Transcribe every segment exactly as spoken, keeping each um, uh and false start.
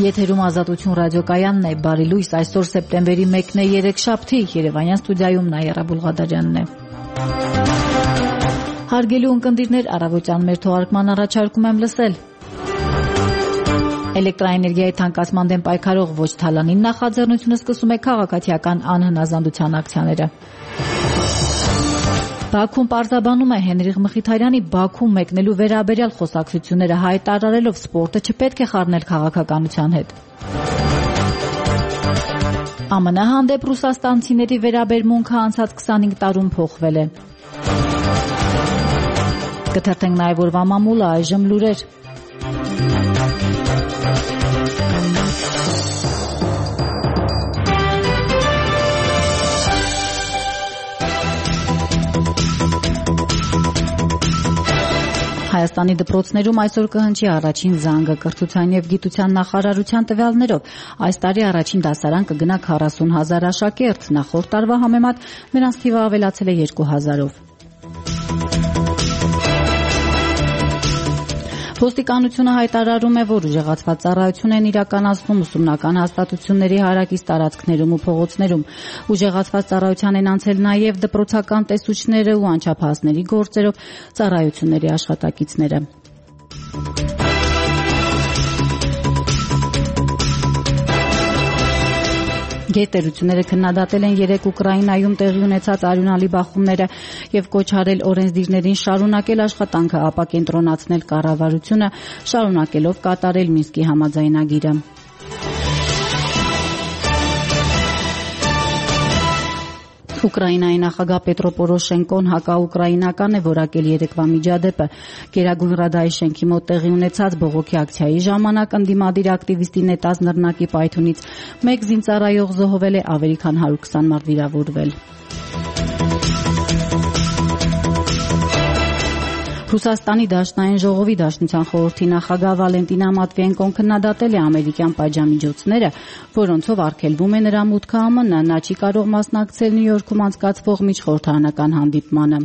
Եթերում Ազատություն ռադիոկայանն է, բարի լույս, այսօր սեպտեմբերի մեկն է, երեքշաբթի, Երևանյան ստուդիայում Նաիրա Բուլղադարյանն է։ Հարգելի ունկնդիրներ, առավոտյան մեր թողարկման առաջարկում եմ լսել. Էլեկտրաէներգիայի թանկացման դեմ պայքարող ոչ թալանին նախաձեռնությունը սկսում է քաղաքացիական անհնազանդության ակցիաները։ Բաքուն պարզաբանում է Հենրիխ Մխիթարյանի Բաքու մեկնելու վերաբերյալ խոսակցությունները, հայտարարելով սպորտը չպետք է խառնել քաղաքականության հետ։ ԱՄՆ հանդեպ ռուսաստանցիների վերաբերմունքը անցած քսանհինգ տարում փոխվել է։ Կթերթենք նաև օրվա մամուլը, այժմ լուրեր։ Հայաստանի դպրոցներում այսօր կհնչի առաջին զանգը կրթության եւ գիտության նախարարության տվյալներով։ Այս տարի առաջին դասարան կգնա քառասուն հազար աշակերտ, նախորդ տարվա համեմատ նրանց թիվը ավելացել է երկու հազարով։ Ոստիկանությունը հայտարարում է, որ ուժեղացված ծառայություն են իրականացնում ուսումնական հաստատությունների հարակից տարածքներում ու փողոցներում։ Ուժեղացված ծառայության են անցել նաև դպրոցական տեսուչները ու անչափահասների գործերով ծառայությունների աշխատակիցները։ Գերտերությունները քննադատել են երեք Ուկրաինայում տեղի ունեցած արյունալի բախումները եւ կոչ արել օրենսդիրներին շարունակել աշխատանքը ապակենտրոնացնել կառավարությունը, շարունակելով կատարել Մինսկի համաձայնագիրը։ Ուկրաինայի նախագահ Պետրո Պորոշենկոն հակաուկրաինական է որակել երեկվա միջադեպը։ Գերագույն Ռադայի շենքի մոտ տեղի ունեցած բողոքի ակցիայի ժամանակ ընդդիմադիր ակտիվիստի նետած նռնակի պայթյունից մեկ զինծառայող զոհվել է, ավելի քան հարյուր քսան մարդ վիրավորվել։ Ռուսաստանի Դաշնային ժողովի Դաշնության խորհրդի նախագահ Վալենտինա Մատվիենկոն քննադատել է ամերիկյան պատժամիջոցները, որոնցով արգելվում է նրա մուտքը ԱՄՆ, նա չի կարող մասնակցել Նյու Յորքում անցկացվող միջխորհրդարանական հանդիպմանը։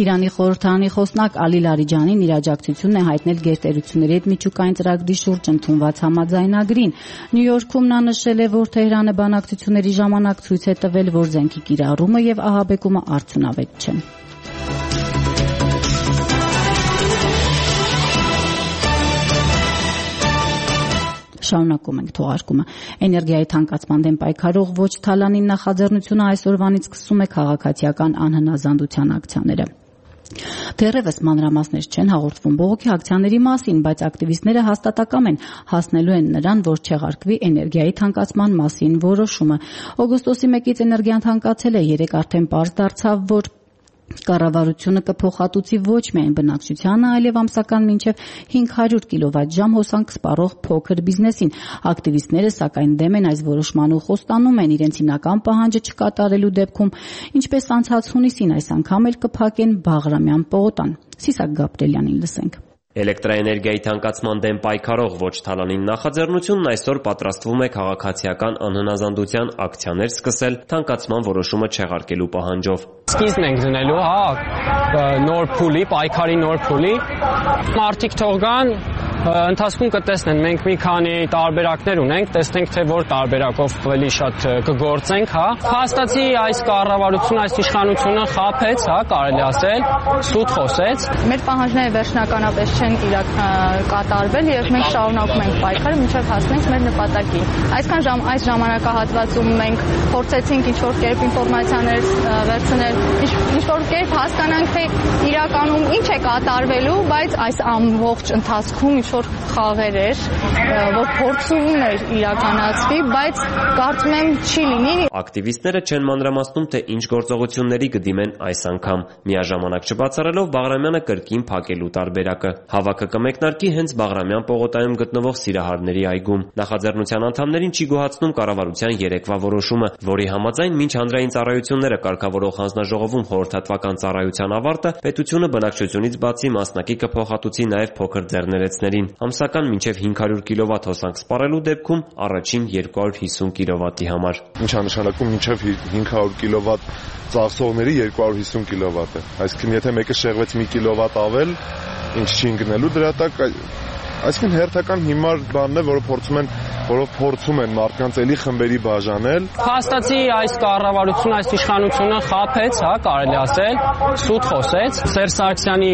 Իրանի խորհրդարանի խոսնակ Ալի Լարիջանին իր աջակցությունն է հայտնել գերտերությունների հետ միջուկային ծրագրի շուրջ ընդունված համաձայնագրին։ Նյու Յորքում նա նշել է, որ Թեհրանը բանակցությունների ժամանակ ցույց է տվել, որ զենքի կիրառումը եւ ահաբեկումը արդյունավետ չեն։ Շարունակում ենք թողարկումը։ Էներգիայի թանկացման դեմ պայքարող ոչ թալանին նախաձեռնությունը այսօրվանից սկսում է քաղաքացիական անհնազանդության ակցիաները։ Դեռևս մանրամասներ չեն հաղորդվում բողոքի ակցիաների մասին, բայց ակտիվիստները հաստատակամ են, հասնելու են նրան, որ չեղարկվի էներգիայի թանկացման մասին որոշումը։ Օգոստոսի մեկից էներգիան թանկացել է, երեք արդեն պարզ դարձավ, որ կառավարությունը կփոխհատուցի ոչ միայն բնակչությանը, այլև ամսական մինչև հինգ հարյուր կիլովատժամ հոսանք սպառող փոքր բիզնեսին։ Ակտիվիստները սակայն դեմ են այս որոշման ու խոստանում են իրենց հիմնական պահանջը չկատարելու դեպքում, ինչպես անցած հունիսին այս անգամ էլ կփակեն Բաղրամյան պողոտան։ Սիսակ Գաբրելյանին լսենք։ Էլեկտրաէներգիայի թանկացման դեմ պայքարող ոչ թալանին նախաձեռնությունն այսօր պատրաստվում է քաղաքացիական անհնազանդության ակցիաներ սկսել թանկացման որոշումը չեղարկելու պահանջով։ Սկիզբն ենք դնելու, հա, նոր փուլի, պայքարի նոր փուլի։ Մարդիկ թող գան, ընթացքում կտեսնեն, մենք մի քանի տարբերակներ ունենք, տեսնենք թե որ տարբերակով ավելի շատ կգործենք, հա։ Փաստացի այս կառավարությունը, այս իշխանությունը խաբեց, հա, կարելի ասել, սուտ խոսեց։ Մեր պահանջները վերջնականապես չեն կատարվել եւ մենք շարունակում ենք պայքարը մինչեւ հասնենք մեր նպատակին։ Այսքան ժամ այս ժամանակահատվածում մենք փորձեցինք ինչ-որ կերպ ինֆորմացիաներ վերցնել, ինչ-որ կերպ հասկանանք թե իրականում ինչ է կատարվելու, բայց այս ամբողջ ընթացքում ինչ-որ խաղեր էր, որ փորձում էր իրականացվի, բայց կարծում եմ չի լինի։ Ակտիվիստները չեն մանրամասնում, թե ինչ գործողությունների կդիմեն այս անգամ, միաժամանակ չբացառելով Բաղրամյանը կրկին փակելու տարբերակը։ Հավաքը կմեկնարկի հենց Բաղրամյան պողոտայում գտնվող Սիրահարների այգում։ Նախաձեռնության անդամներին չի գոհացնում կառավարության երեկվա որոշումը, որի համաձայն մինչ հանրային ծառայությունները կարգավորող հանձնաժողովում խորհրդատվական ծառայության ավարտը, պետությունը բնակչությունից բացի մասնակի կփոխհատուցի նաև փոքր ձեռներեցներին, ամսական մինչև հինգ հարյուր կիլովատ հոսանք սպառելու դեպքում առաջին երկու հարյուր հիսուն կիլովատի համար։ Ինչ է նշանակում մինչև հինգ հարյուր կիլովատ ծախսողների երկու հարյուր հիսուն կիլովատ է։ Այսինքն եթե մեկը շեղվեց մի կիլովատ ավել, ինչ չի ընկնելու դրա տակ, այսինքն հերթական հիմար բանն է, որը փորձում են որով փորձում են մարդկանց էլի խմբերի բաժանել։ Փաստացի այս կառավարությունը, այս իշխանությունը խաբեց, հա, կարելի ասել, սուտ խոսեց։ Սերժ Սարգսյանի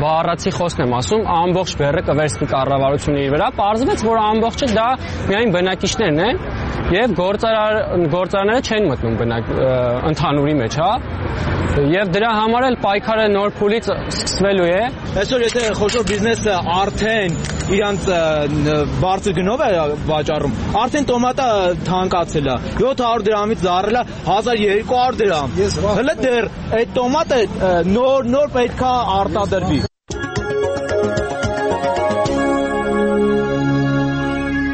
բառացի խոսքն եմ ասում, ամբողջ բեռը կվերցնի կառավարությունը իր վրա, պարզվեց, որ ամբողջը դա միայն բնակիչներն են եւ գործարար գործարանները չեն մտնում բնակ ընդհանուրի մեջ, հա։ Եվ դրա համար էլ պայքարը նոր փուլից սկսվելու է։ Այսօր եթե խոշոր բիզնեսը արդեն իրանց բարձր գնով է վաճառում, արդեն տոմատը թանկացել է, յոթ հարյուր դրամից դառել է հազար երկու հարյուր դրամ։ Հələ դեռ այդ տոմատը նոր նոր պետքա արտադրվի։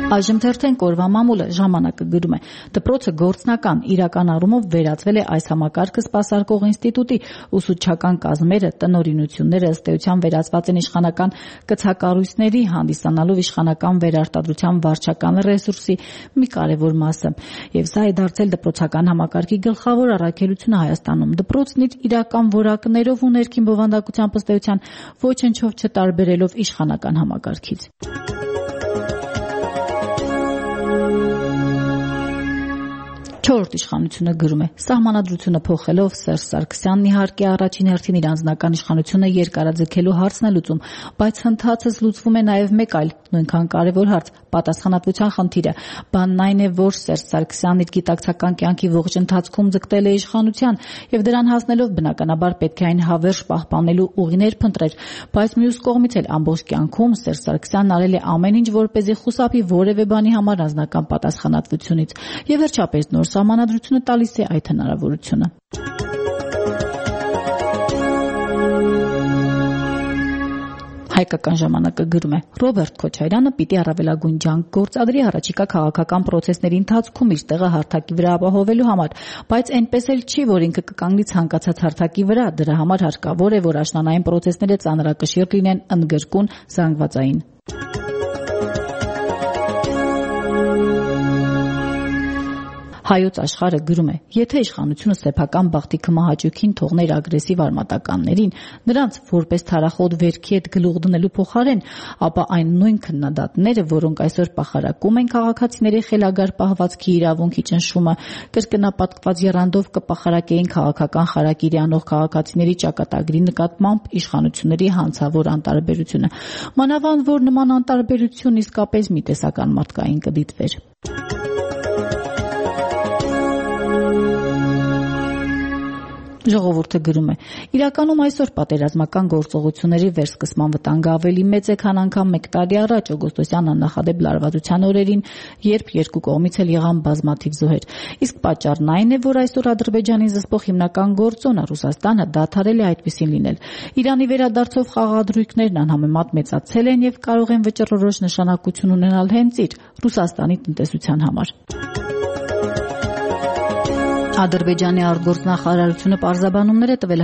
Այժմ թերթեն կորվա մամուլը ժամանակը գրում է. դպրոցը գործնական իրական առումով վերածվել է այս համակարգը սպասարկող ինստիտուտի, ուսուցչական կազմերը, տնօրինությունները ըստ էության վերածված են իշխանական կցակառույցների, հանդիսանալով իշխանական վերարտադրության վարչական ռեսուրսի մի կարևոր մասը։ Եվ սա է դարձել դպրոցական համակարգի գլխավոր առաքելությունը Հայաստանում։ Դպրոցն իր իրական որակներով ու ներքին բովանդակությամբ ըստ էության ոչնչով չտարբերելով իշխանական համակարգից։ Չորրորդ իշխանությունը գրում է. սահմանադրությունը փոխելով Սերժ Սարգսյանն իհարկե առաջին հերթին իր անձնական իշխանությունը երկարաձգելու հարցն է լուծում, բայց հնդածս լուծվում է նաև մեկ այլ նույնքան կարևոր հարց՝ պատասխանատվության խնդիրը։ Բանն այն է, որ Սերժ Սարգսյանն իր գիտակցական կյանքի ողջ ընթացքում ձգտել է իշխանության եւ դրան հասնելով բնականաբար պետք է այն հավերժ պահպանելու ուղիներ փնտրեր, բայց մյուս կողմից էլ ամբողջ կյանքում Սերժ Սարգսյանն արել է ամեն ինչ, որպեսզի խուսափի որևէ բանի համար անձնական պատասխանատվությունից։ Եվ վերջապես նոր Սահմանադրությունը տալիս է այդ հնարավորությունը։ Հայկական ժամանակը գրում է. Ռոբերտ Քոչարյանը պիտի առավելագույն ջանք գործադրի առաջիկա քաղաքական պրոցեսների ընթացքում իր տեղը հարթակի վրա ապահովելու համար, բայց այնպես էլ չի, որ ինքը կկանգնի ցանկացած հարթակի վրա, դրա համար հարկավոր է, որ աշնանային պրոցեսները ծանրակշիռ լինեն, ընդգրկուն, զանգվածային։ Հայոց աշխարհը գրում է. եթե իշխանությունը սեփական բախտի կմահաճույքին թողներ ագրեսիվ արմատականներին, նրանց որպես թարախոտ վերքի հետ գլուխ դնելու փոխարեն, ապա այն նույն քննադատները, որոնք այսօր պախարակում են քաղաքացիների խելագար պահվածքի իրավունքի ճնշումը, կրկնապատկված եռանդով կպախարակեին քաղաքական խարակիրի անող քաղաքացիների ճակատագրի նկատմամբ իշխանությունների հանցավոր անտարբերությունը։ Մանավանդ որ նման անտարբերություն իսկապես մի տեսական մարդկային կդիտվեր։ Ժողովուրդը գրում է. իրականում այսօր պատերազմական գործողությունների վերսկսման վտանգը ավելի մեծ է, քան անգամ մեկ տարի առաջ օգոստոսյան աննախադեպ լարվածության օրերին, երբ երկու կողմից էլ եղան բազմաթիվ զոհեր։ Իսկ պատճառն այն է, որ այսօր Ադրբեջանին զսպող հիմնական գործոնը Ռուսաստանը դադարել է այդպիսին լինել։ Իրանի վերադարձով խաղադրույքներն անհամեմատ մեծացել են եւ կարող են վճռորոշ նշանակություն ունենալ հենց իր Ռուսաստանի տնտեսության համար։ Ադրբեջանի արտգործնախարարությունը պարզաբանումներ է տվել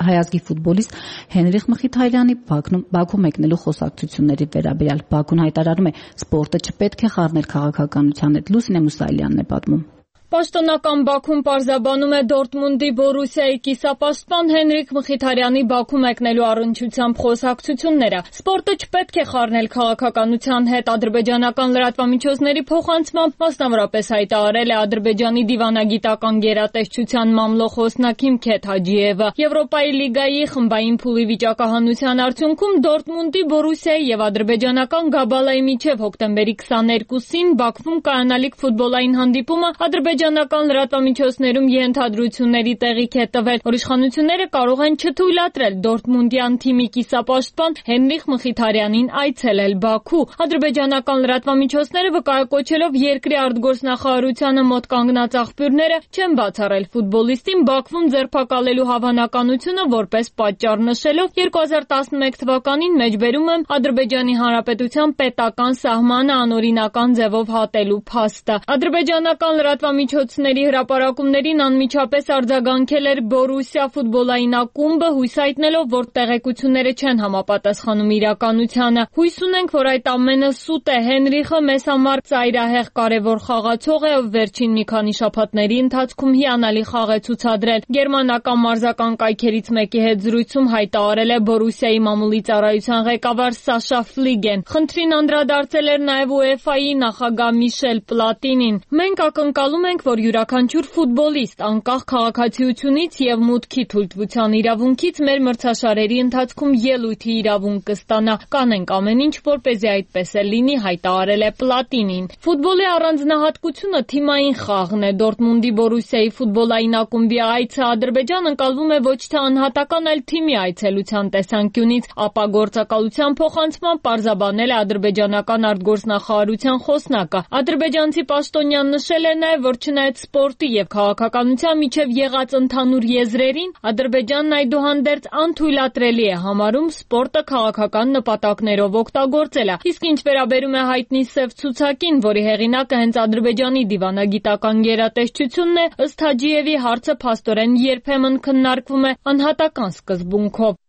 հայազգի ֆուտբոլիստ Հենրիխ Մխիթարյանի Բաքու մեկնելու խոսակցությունների վերաբերյալ։ Բաքուն հայտարարում է, սպորտը չպետք է խառնել քաղաքականության հետ։ Լուսինե Մուսայելյանն է պատմում։ Պաշտոնական Բաքուն պարզաբանում է Դորտմունդի Բորուսիայի կիսապաշտպան Հենրիխ Մխիթարյանի Բաքու մեկնելու առնչությամբ խոսակցությունները։ Սպորտը չպետք է խառնել քաղաքականության հետ, ադրբեջանական լրատվամիջոցների փոխանցմամբ մասնավորապես հայտարարել է Ադրբեջանի դիվանագիտական գերատեսչության մամլո խոսնակ Հիմքեթ Հաջիևը։ Եվրոպայի լիգայի խմբային փուլի վիճակահանության արդյունքում Դորտմունդի Բորուսիայի եւ ադրբեջանական Գաբալայի միջև հոկտեմբերի քսաներկուսին Բաքվում կայանալիք ֆուտբոլային հանդիպումը ադրբեջանական լրատվամիջոցներում ենթադրությունների տեղիք է տվել, որ իշխանությունները կարող են չթույլատրել Դորտմունդյան թիմի կիսապաշտպան Հենրիխ Մխիթարյանին այցելել Բաքու։ Ադրբեջանական լրատվամիջոցները վկայակոչելով երկրի արտգործնախարարությանը մոտ կանգնած աղբյուրները չեն բացառել ֆուտբոլիստին Բաքվում ձերբակալելու հավանականությունը որպես պատճառ նշելով երկու հազար տասնմեկ թվականին մեջբերում եմ Ադրբեջանի Հանրապետության պետական սահմանը անօրինական ձևով հատելու փաստը։ Ադրբեջանական լրատվամիջոցները լրատվամիջոցների հրապարակումներին անմիջապես արձագանքել էր Բորուսիա ֆուտբոլային ակումբը, հույս հայտնելով, որ տեղեկությունները չեն համապատասխանում իրականությանը։ Հույս ունենք, որ այդ ամենը սուտ է։ Հենրիխը մեզ համար ծայրահեղ կարևոր խաղացող է, ով վերջին մի քանի շաբաթների ընթացքում հիանալի խաղ է ցուցադրել։ Գերմանական մարզական կայքերից մեկի հետ զրույցում հայտարարել է Բորուսիայի մամուլի ծառայության ղեկավար Սաշա Ֆլիգեն։ Խնդրին անդրադարձել էր նաև ՈՒԵՖԱ-ի նախագահ Միշել Պլատինին։ Մենք ակնկալում ենք, որ յուրաքանչյուր ֆուտբոլիստ անկախ քաղաքացիությունից եւ մուտքի թույլտվության իրավունքից մեր մրցաշարերի ընթացքում ելույթի իրավունք կստանա։ Կանենք ամեն ինչ, որպեսզի այդպես է լինի, հայտարարել է Պլատինին։ Ֆուտբոլի առանձնահատկությունը թիմային խաղն է։ Դորտմունդի Բորուսիայի ֆուտբոլային ակումբի այցը Ադրբեջան ընկալվում է ոչ թե անհատական, այլ թիմի այցելության տեսանկյունից, ապա գործակալության փոխանցման պարզաբանել է ադրբեջանական արտգործնախարարության խոսնակը։ Ադրբեջանցի պաշտոնյան նշել է նաև, որ չնայած սպորտի եւ քաղաքականության միջև եղած ընդհանուր եզրերին, Ադրբեջանն այդուհանդերձ անթույլատրելի է համարում սպորտը քաղաքական նպատակներով օգտագործելը։ Իսկ ինչ վերաբերում է հայտնի սև ցուցակին, որի հեղինակը հենց Ադրբեջանի դիվանագիտական գերատեսչությունն է, ըստ Հաջիևի հարցը փաստորեն երբեմն քննարկվում է անհատական սկզբունքով։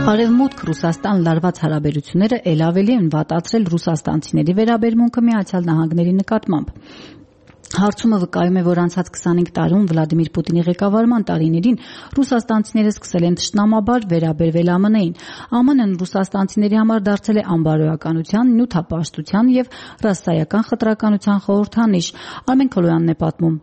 Արևմուտք Ռուսաստան լարված հարաբերությունները ել ավելի են վատացրել ռուսաստանցիների վերաբերմունքը Միացյալ Նահանգների նկատմամբ։ Հարցումը վկայում է, որ անցած քսանհինգ տարում Վլադիմիր Պուտինի ղեկավարման տարիներին ռուսաստանցիները սկսել են թշնամաբար վերաբերվել ԱՄՆ-ին։ ԱՄՆ-ն ռուսաստանցիների համար դարձել է անբարոյականության, նյութապաշտության եւ ռասայական խտրականության խորհրդանիշ։ Արմեն Քոլոյանն է պատմում։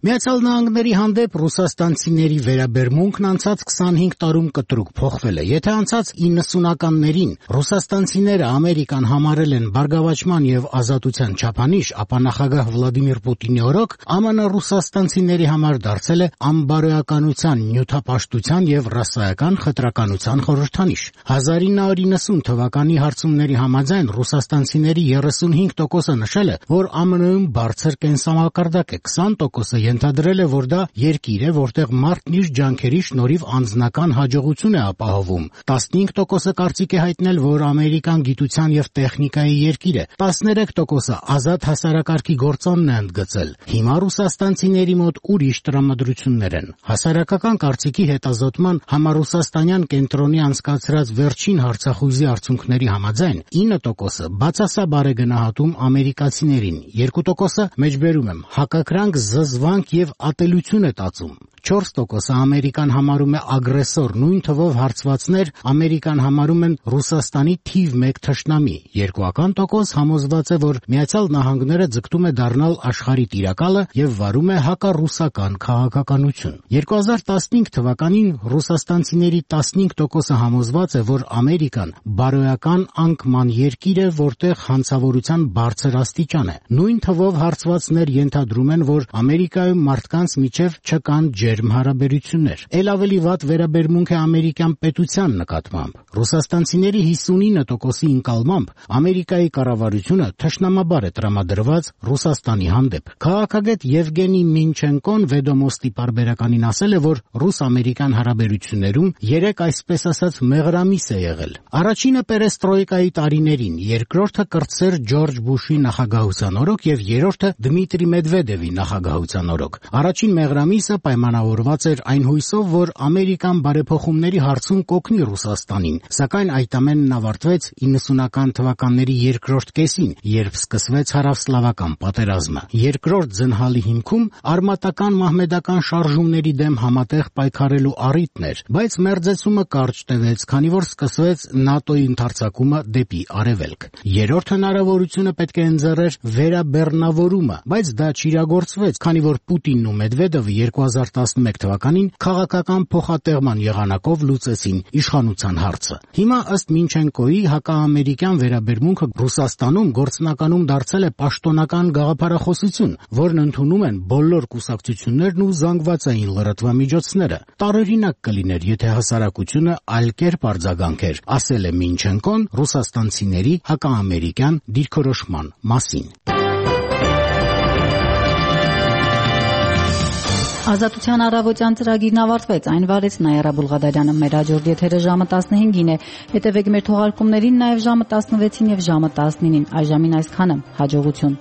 Միացյալ Նահանգների հանդեպ ռուսաստանցիների վերաբերմունքն անցած քսանհինգ տարում կտրուկ փոխվել է։ Եթե անցած իննսունականներին ռուսաստանցիները Ամերիկան համարել են բարգավաճման եւ ազատության չափանիշ, ապա նախագահ Վլադիմիր Պուտինի օրոք ԱՄՆ ռուսաստանցիների համար դարձել է անբարոյականության, նյութապաշտության եւ ռասայական խտրականության խորհրդանիշ։ հազար ինը հարյուր իննսուն թվականի հարցումների համաձայն ռուսաստանցիների երեսունհինգ տոկոսը նշել է, որ ԱՄՆ-ում բարձր կենսամակարդակ է, քսան տոկոսը ենթադրել է, որ դա երկիր է, որտեղ մարդն իր ջանքերի շնորհիվ անձնական հաջողություն է ապահովում։ տասնհինգ տոկոսը կարծիք է հայտնել, որ Ամերիկան գիտության եւ տեխնիկայի երկիր է։ տասներեք տոկոսը ազատ հասարակարգի գործոնն է ընդգծել։ Հիմա ռուսաստանցիների մոտ ուրիշ տրամադրություններ են։ Հասարակական կարծիքի հետազոտման համառուսաստանյան կենտրոնի անցկացրած վերջին հարցախույզի արդյունքների համաձայն ինը տոկոսը բացասաբար է գնահատում ամերիկացիներին, երկու տոկոսը մեջբերում եմ հակակրանք, զզվանք եւ ատելություն է տածում։ չորս տոկոսը Ամերիկան համարում է ագրեսոր, նույն թվով հարցվածներ Ամերիկան համարում են Ռուսաստանի թիվ մեկ թշնամի։ Երկուական տոկոս համոզված է, որ Միացյալ Նահանգները ձգտում է դառնալ աշխարհի տիրակալը եւ վարում է հակառուսական քաղաքականություն։ երկու հազար տասնհինգ թվականին ռուսաստանցիների տասնհինգ տոկոսը համոզված է, որ Ամերիկան բարոյական անկման երկիր է, որտեղ հանցավորության բարձր աստիճան է։ Նույն թվով հարցվածներ ենթադրում են, որ Ամերիկայում մարդկանց միջև չկան ջերմ հարաբերություններ։ Էլ ավելի վատ վերաբերմունք է ամերիկյան պետության նկատմամբ։ Ռուսաստանցիների հիսունինը տոկոսի ընկալմամբ Ամերիկայի կառավարությունը թշնամաբար է տրամադրված Ռուսաստանի հանդեպ։ Քաղաքագետ Եվգենի Մինչենկոն Վեդոմոստի պարբերականին ասել է, որ ռուս-ամերիկյան հարաբերություններում երեք այսպես ասած մեղրամիս է եղել։ Առաջինը պերեստրոյկայի տարիներին, երկրորդը կրտսեր Ջորջ Բուշի նախագահության օրոք եւ երրորդը Դմիտրի Մեդվեդևի նախագահության օրոք։ Առաջին մեղրամիսը պայմանավորված էր այն հույսով, որ Ամերիկան բարեփոխումների հարցում կօգնի Ռուսաստանին, սակայն այդ ամենն ավարտվեց իննսունական թվականների երկրորդ կեսին, երբ սկսվեց հարավսլավական պատերազմը։ Երկրորդ ձնհալի հիմքում արմատական մահմեդական շարժումների դեմ համատեղ պայքարելու առիթն էր, բայց մերձեցումը կարճ տևեց, քանի որ սկսվեց ՆԱՏՕ-ի ընդարձակումը դեպի արևելք։ Երրորդ հնարավորությունը պետք է ընձեռեր վերաբեռնավորումը, բայց դա չիրագործվեց, քանի որ Պուտինն ու Մեդվեդևը երկու հազար տասնմեկ թվականին քաղաքական փոխատեղման եղանակով լուծեցին իշխանության հարցը։ Հիմա ըստ Մինչենկոյի հակաամերիկյան վերաբերմունքը Ռուսաստանում գործնականում դարձել է պաշտոնական գաղափարախոսություն, որն ընդունում են բոլոր կուսակցություններն ու զանգվածային լրատվամիջոցները։ Տարօրինակ կլիներ, եթե հասարակությունը այլ կերպ արձագանքեր, ասել է Մինչենկոն ռուսաստանցիների հակաամերիկյան դիրքորոշման մասին։ Ազատության առավոտյան ծրագիրն ավարտվեց, այն վարեց Նայարա Բուլղադարյանը, մեր հաջորդ եթերը ժամը տասնհինգին է, հետևեք մեր թողարկումներին նաև ժամը տասնվեցին և ժամը տասնինին, այժմին այսքանը, հաջողություն։